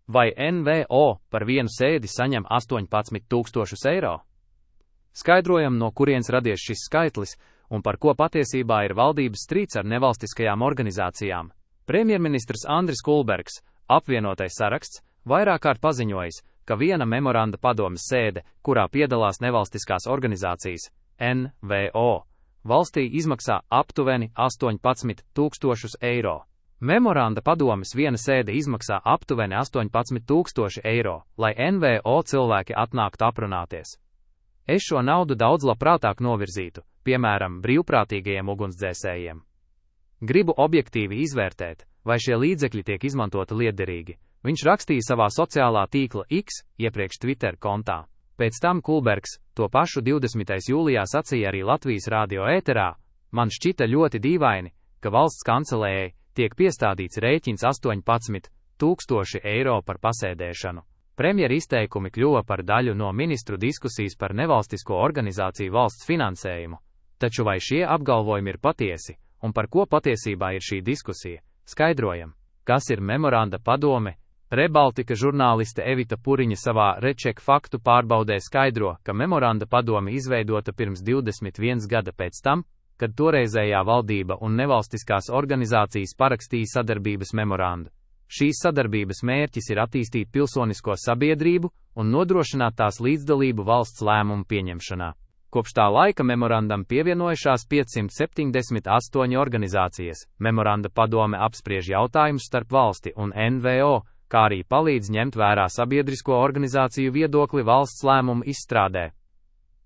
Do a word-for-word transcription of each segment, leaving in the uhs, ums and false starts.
Vai N V O par vienu sēdi saņem astoņpadsmit tūkstošus eiro? Skaidrojam, no kurienes radies šis skaitlis un par ko patiesībā ir valdības strīds ar nevalstiskajām organizācijām. Premjerministrs Andris Kulbergs, apvienotais saraksts, vairāk kārt paziņojis, ka viena memoranda padomes sēde, kurā piedalās nevalstiskās organizācijas, N V O, valstī izmaksā aptuveni astoņpadsmit tūkstošus eiro. Memoranda padomes viena sēde izmaksā aptuveni astoņpadsmit tūkstoši eiro, lai N V O cilvēki atnāktu aprunāties. Es šo naudu daudz labprātāk novirzītu, piemēram, brīvprātīgajiem ugunsdzēsējiem. Gribu objektīvi izvērtēt, vai šie līdzekļi tiek izmantoti liederīgi. Viņš rakstīja savā sociālā tīkla X, iepriekš Twitter kontā. Pēc tam Kulbergs to pašu divdesmitajā jūlijā sacīja arī Latvijas radio ēterā. Man šķita ļoti dīvaini, ka valsts kancelējai tiek piestādīts rēķins astoņpadsmit tūkstoši eiro par pasēdēšanu. Premjera izteikumi kļuva par daļu no ministru diskusijas par nevalstisko organizāciju valsts finansējumu. Taču vai šie apgalvojumi ir patiesi, un par ko patiesībā ir šī diskusija? Skaidrojam, kas ir memoranda padome. Rebaltika žurnāliste Evita Puriņa savā Reček faktu pārbaudē skaidro, ka memoranda padome izveidota pirms divdesmit viena gada pēc tam, kad toreizējā valdība un nevalstiskās organizācijas parakstīja sadarbības memorandu. Šīs sadarbības mērķis ir attīstīt pilsonisko sabiedrību un nodrošināt tās līdzdalību valsts lēmumu pieņemšanā. Kopš tā laika memorandam pievienojušās piecsimt septiņdesmit astoņas organizācijas. Memoranda padome apspriež jautājumus starp valsti un N V O, kā arī palīdz ņemt vērā sabiedrisko organizāciju viedokli valsts lēmumu izstrādē.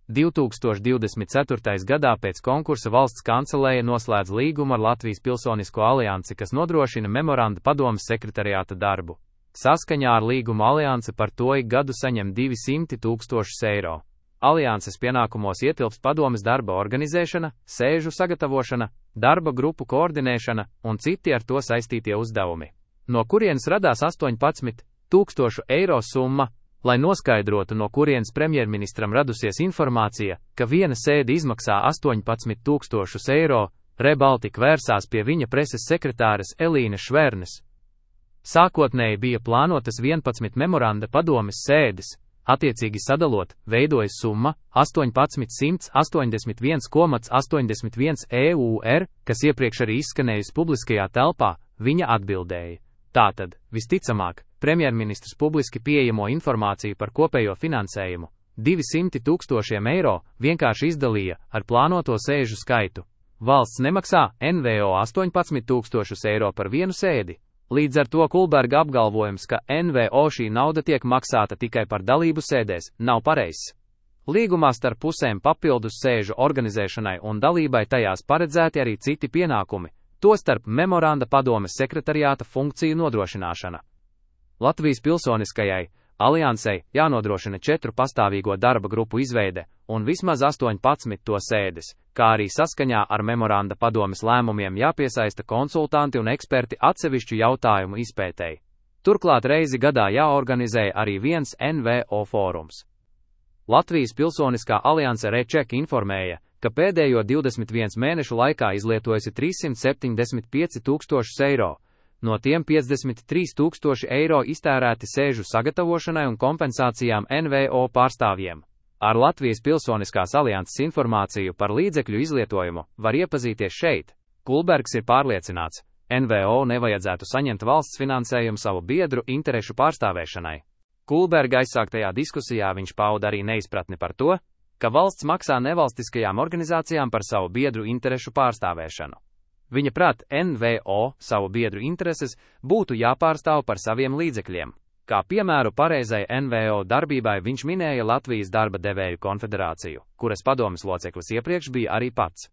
divi tūkstoši divdesmit ceturtajā gadā pēc konkursa valsts kancelēja noslēdz līgumu ar Latvijas Pilsonisko aliansi, kas nodrošina memoranda padomes sekretariāta darbu. Saskaņā ar līgumu alianse par to ik gadu saņem divsimt tūkstošus eiro. Alianses pienākumos ietilpst padomes darba organizēšana, sēžu sagatavošana, darba grupu koordinēšana un citi ar to saistītie uzdevumi. No kurienes radās astoņpadsmit tūkstošu eiro summa? Lai noskaidrotu, no kurienes premjerministram radusies informācija, ka viena sēde izmaksā astoņpadsmit tūkstošus eiro, Rebaltika vērsās pie viņa preses sekretāres Elīnes Švernes. Sākotnēji bija plānotas vienpadsmit memoranda padomes sēdes, attiecīgi sadalot, veidojas summa astoņpadsmit simts astoņdesmit viens komats astoņdesmit viens eiro, kas iepriekš arī izskanējusi publiskajā telpā, viņa atbildēja. Tātad, visticamāk, premjerministrs publiski pieejamo informāciju par kopējo finansējumu, divsimt tūkstošiem eiro, vienkārši izdalīja ar plānoto sēžu skaitu. Valsts nemaksā N V O astoņpadsmit tūkstošus eiro par vienu sēdi. Līdz ar to Kulberga apgalvojums, ka N V O šī nauda tiek maksāta tikai par dalību sēdēs, nav pareizs. Līgumā starp pusēm papildus sēžu organizēšanai un dalībai tajās paredzēti arī citi pienākumi, tostarp memoranda padomes sekretariāta funkciju nodrošināšana. Latvijas Pilsoniskajai aliansei jānodrošina četru pastāvīgo darba grupu izveide un vismaz astoņpadsmit to sēdes, kā arī saskaņā ar memoranda padomes lēmumiem jāpiesaista konsultanti un eksperti atsevišķu jautājumu izpētēji. Turklāt reizi gadā jāorganizē arī viens N V O fórums. Latvijas Pilsoniskā alianse Reček informēja, ka pēdējo divdesmit vienu mēnešu laikā izlietojusi trīssimt septiņdesmit pieci tūkstošus eiro. No tiem piecdesmit trīs tūkstoši eiro iztērēti sēžu sagatavošanai un kompensācijām N V O pārstāvjiem. Ar Latvijas Pilsoniskās alianses informāciju par līdzekļu izlietojumu var iepazīties šeit. Kulbergs ir pārliecināts, N V O nevajadzētu saņemt valsts finansējumu savu biedru interešu pārstāvēšanai. Kulberga aizsāktajā diskusijā viņš pauda arī neizpratni par to, ka valsts maksā nevalstiskajām organizācijām par savu biedru interešu pārstāvēšanu. Viņa prāt, N V O savu biedru intereses būtu jāpārstāv par saviem līdzekļiem. Kā piemēru pareizai N V O darbībai viņš minēja Latvijas darba devēju konfederāciju, kuras padomes loceklis iepriekš bija arī pats.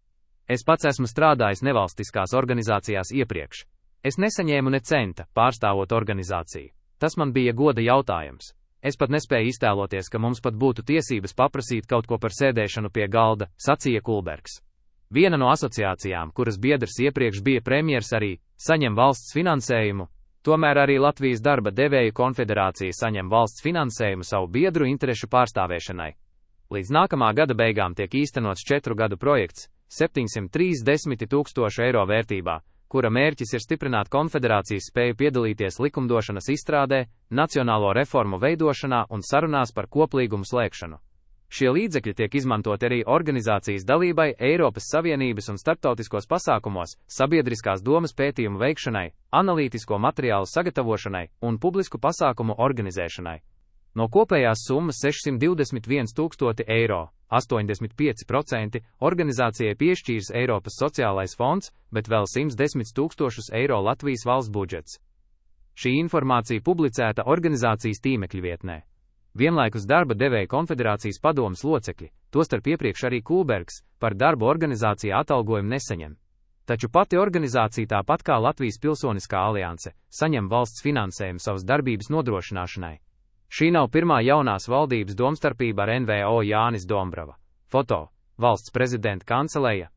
Es pats esmu strādājis nevalstiskās organizācijās iepriekš. Es nesaņēmu ne centa, pārstāvot organizāciju. Tas man bija goda jautājums. Es pat nespēju iztēloties, ka mums pat būtu tiesības paprasīt kaut ko par sēdēšanu pie galda, sacīja Kulbergs. Viena no asociācijām, kuras biedrs iepriekš bija premjers, arī saņem valsts finansējumu, tomēr arī Latvijas darba devēju konfederācija saņem valsts finansējumu savu biedru interešu pārstāvēšanai. Līdz nākamā gada beigām tiek īstenots četru gadu projekts, septiņsimt trīsdesmit tūkstoši eiro vērtībā, kura mērķis ir stiprināt konfederācijas spēju piedalīties likumdošanas izstrādē, nacionālo reformu veidošanā un sarunās par koplīgumu slēgšanu. Šie līdzekļi tiek izmantoti arī organizācijas dalībai Eiropas Savienības un starptautiskos pasākumos, sabiedriskās domas pētījumu veikšanai, analītisko materiālu sagatavošanai un publisku pasākumu organizēšanai. No kopējās summas sešsimt divdesmit viens tūkstoši eiro, astoņdesmit pieci procenti organizācijai piešķīrs Eiropas sociālais fonds, bet vēl simt desmit tūkstošus eiro Latvijas valsts budžets. Šī informācija publicēta organizācijas tīmekļa vietnē. Vienlaikus darba devēja konfederācijas padomes locekļi, tostarp iepriekš arī Kulbergs, par darbu organizācijā atalgojumu nesaņem. Taču pati organizācija, tāpat kā Latvijas Pilsoniskā alianse, saņem valsts finansējumu savas darbības nodrošināšanai. Šī nav pirmā jaunās valdības domstarpība ar N V O Jānis Dombrava. Foto – Valsts prezidenta kanceleja.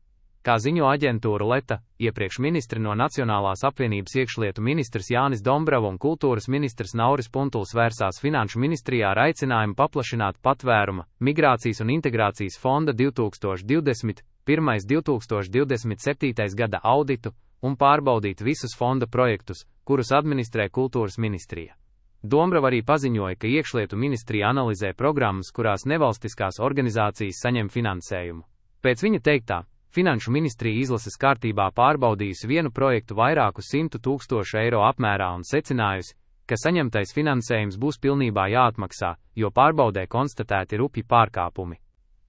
Kā ziņo aģentūra Leta, iepriekš ministri no Nacionālās apvienības iekšlietu ministrs Jānis Dombrava un kultūras ministrs Nauris Puntuls vērsās Finanšu ministrijā ar aicinājumu paplašināt patvēruma, migrācijas un integrācijas fonda divi tūkstoši divdesmit pirmais līdz divi tūkstoši divdesmit septītais gada auditu un pārbaudīt visus fonda projektus, kurus administrē kultūras ministrija. Dombrava arī paziņoja, ka iekšlietu ministrija analizē programmas, kurās nevalstiskās organizācijas saņem finansējumu. Pēc viņa teiktā, Finanšu ministrija izlases kārtībā pārbaudījusi vienu projektu vairāku simtu tūkstošu eiro apmērā un secinājusi, ka saņemtais finansējums būs pilnībā jāatmaksā, jo pārbaudē konstatēti rupji pārkāpumi.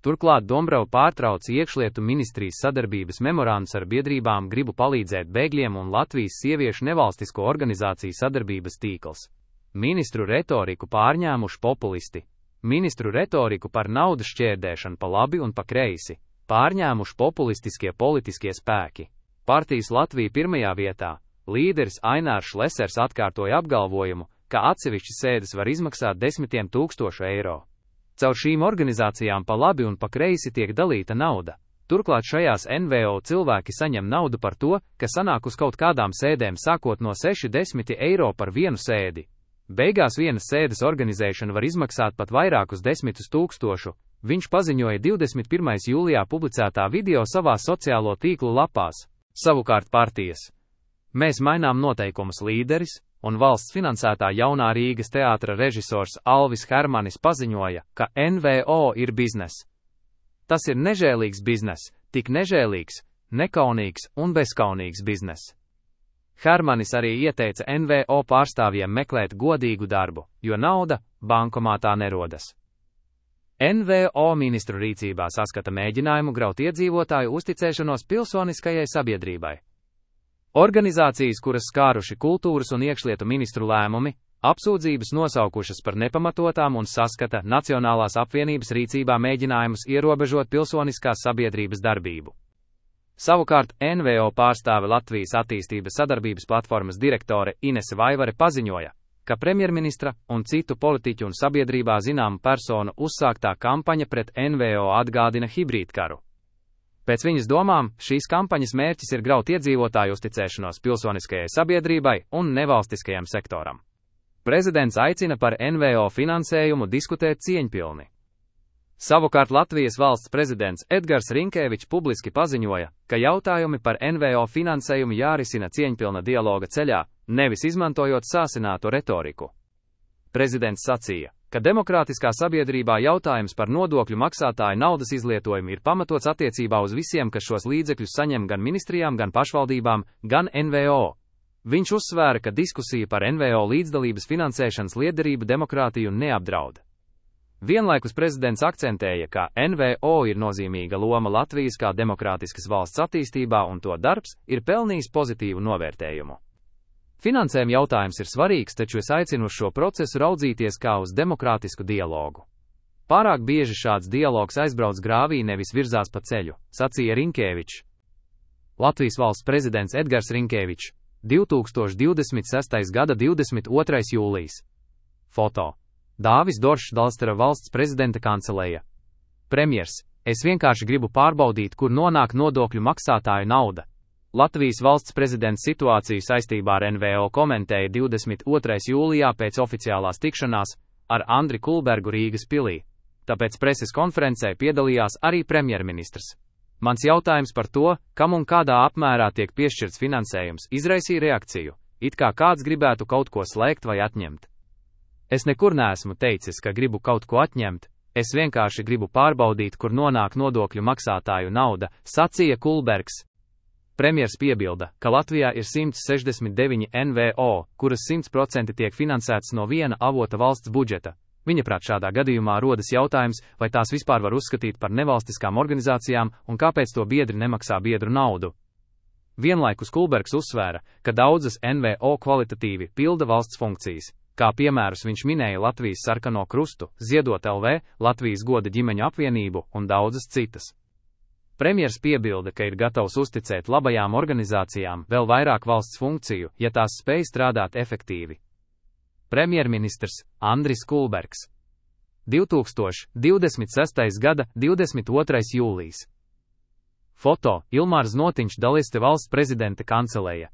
Turklāt Dombrava pārtrauca iekšlietu ministrijas sadarbības memorandus ar biedrībām Gribu palīdzēt bēgļiem un Latvijas sieviešu nevalstisko organizāciju sadarbības tīkls. Ministru retoriku pārņēmuši populisti. Ministru retoriku par naudas šķērdēšanu pa labi un pa kreisi pārņēmuši populistiskie politiskie spēki. Partijas Latvija pirmajā vietā. Līderis Ainārs Šlesers atkārtoja apgalvojumu, ka atsevišķi sēdes var izmaksāt desmitiem tūkstošu eiro. Caur šīm organizācijām pa labi un pa kreisi tiek dalīta nauda. Turklāt šajās N V O cilvēki saņem naudu par to, ka sanāk uz kaut kādām sēdēm sākot no sešdesmit eiro par vienu sēdi. Beigās vienas sēdes organizēšana var izmaksāt pat vairākus desmitus tūkstošu, viņš paziņoja divdesmit pirmā jūlijā publicētā video savā sociālo tīklu lapās. Savukārt partijas Mēs mainām noteikumus līderis un valsts finansētā jaunā Rīgas teātra režisors Alvis Hermanis paziņoja, ka N V O ir biznes. Tas ir nežēlīgs biznes, tik nežēlīgs, nekaunīgs un bezkaunīgs biznes. Hermanis arī ieteica N V O pārstāvjiem meklēt godīgu darbu, jo nauda bankomātā nerodas. N V O ministru rīcībā saskata mēģinājumu graut iedzīvotāju uzticēšanos pilsoniskajai sabiedrībai. Organizācijas, kuras skāruši kultūras un iekšlietu ministru lēmumi, apsūdzības nosaukušas par nepamatotām un saskata Nacionālās apvienības rīcībā mēģinājumus ierobežot pilsoniskās sabiedrības darbību. Savukārt N V O pārstāve Latvijas attīstības sadarbības platformas direktore Inese Vaivare paziņoja, ka premjerministra un citu politiķu un sabiedrībā zināmu personu uzsāktā kampaņa pret N V O atgādina hibrīdkaru. Pēc viņas domām, šīs kampaņas mērķis ir graut iedzīvotāju uzticēšanos pilsoniskajai sabiedrībai un nevalstiskajam sektoram. Prezidents aicina par N V O finansējumu diskutēt cieņpilni. Savukārt Latvijas valsts prezidents Edgars Rinkēvičs publiski paziņoja, ka jautājumi par N V O finansējumu jārisina cieņpilna dialoga ceļā, nevis izmantojot sāsinātu retoriku. Prezidents sacīja, ka demokrātiskā sabiedrībā jautājums par nodokļu maksātāju naudas izlietojumu ir pamatots attiecībā uz visiem, kas šos līdzekļus saņem gan ministrijām, gan pašvaldībām, gan N V O. Viņš uzsvēra, ka diskusija par N V O līdzdalības finansēšanas liederību demokrātiju neapdraud. Vienlaikus prezidents akcentēja, ka N V O ir nozīmīga loma Latvijas kā demokrātiskas valsts attīstībā un to darbs ir pelnījis pozitīvu novērtējumu. Finansējuma jautājums ir svarīgs, taču es aicinu uz šo procesu raudzīties kā uz demokrātisku dialogu. Pārāk bieži šāds dialogs aizbrauc grāvī, nevis virzās pa ceļu, sacīja Rinkēvičs. Latvijas valsts prezidents Edgars Rinkēvičs, divi tūkstoši divdesmit sestais gada divdesmit otrais jūlijs. Foto. Dāvis Doršs, Dalstera valsts prezidenta kanceleja. Premjers, es vienkārši gribu pārbaudīt, kur nonāk nodokļu maksātāju nauda. Latvijas valsts prezidents situāciju saistībā ar N V O komentēja divdesmit otrais jūlijā pēc oficiālās tikšanās ar Andri Kulbergu Rīgas pilī, tāpēc preses konferencē piedalījās arī premjerministrs. Mans jautājums par to, kam un kādā apmērā tiek piešķirts finansējums, izraisīja reakciju, it kā kāds gribētu kaut ko slēgt vai atņemt. Es nekur neesmu teicis, ka gribu kaut ko atņemt, es vienkārši gribu pārbaudīt, kur nonāk nodokļu maksātāju nauda, sacīja Kulbergs. Premjers piebilda, ka Latvijā ir simts sešdesmit deviņi N V O, kuras simt procenti tiek finansētas no viena avota valsts budžeta. Viņaprāt, šādā gadījumā rodas jautājums, vai tās vispār var uzskatīt par nevalstiskām organizācijām un kāpēc to biedri nemaksā biedru naudu. Vienlaikus Kulbergs uzsvēra, ka daudzas N V O kvalitatīvi pilda valsts funkcijas. Kā piemērus viņš minēja Latvijas Sarkano Krustu, Ziedot L V, Latvijas Goda ģimeņu apvienību un daudzas citas. Premjers piebilda, ka ir gatavs uzticēt labajām organizācijām vēl vairāk valsts funkciju, ja tās spēj strādāt efektīvi. Premjerministrs Andris Kulbergs. divi tūkstoši divdesmit sestais gada divdesmit otrais jūlijs. Foto Ilmārs Notiņš, Daliste valsts prezidenta kanceleja.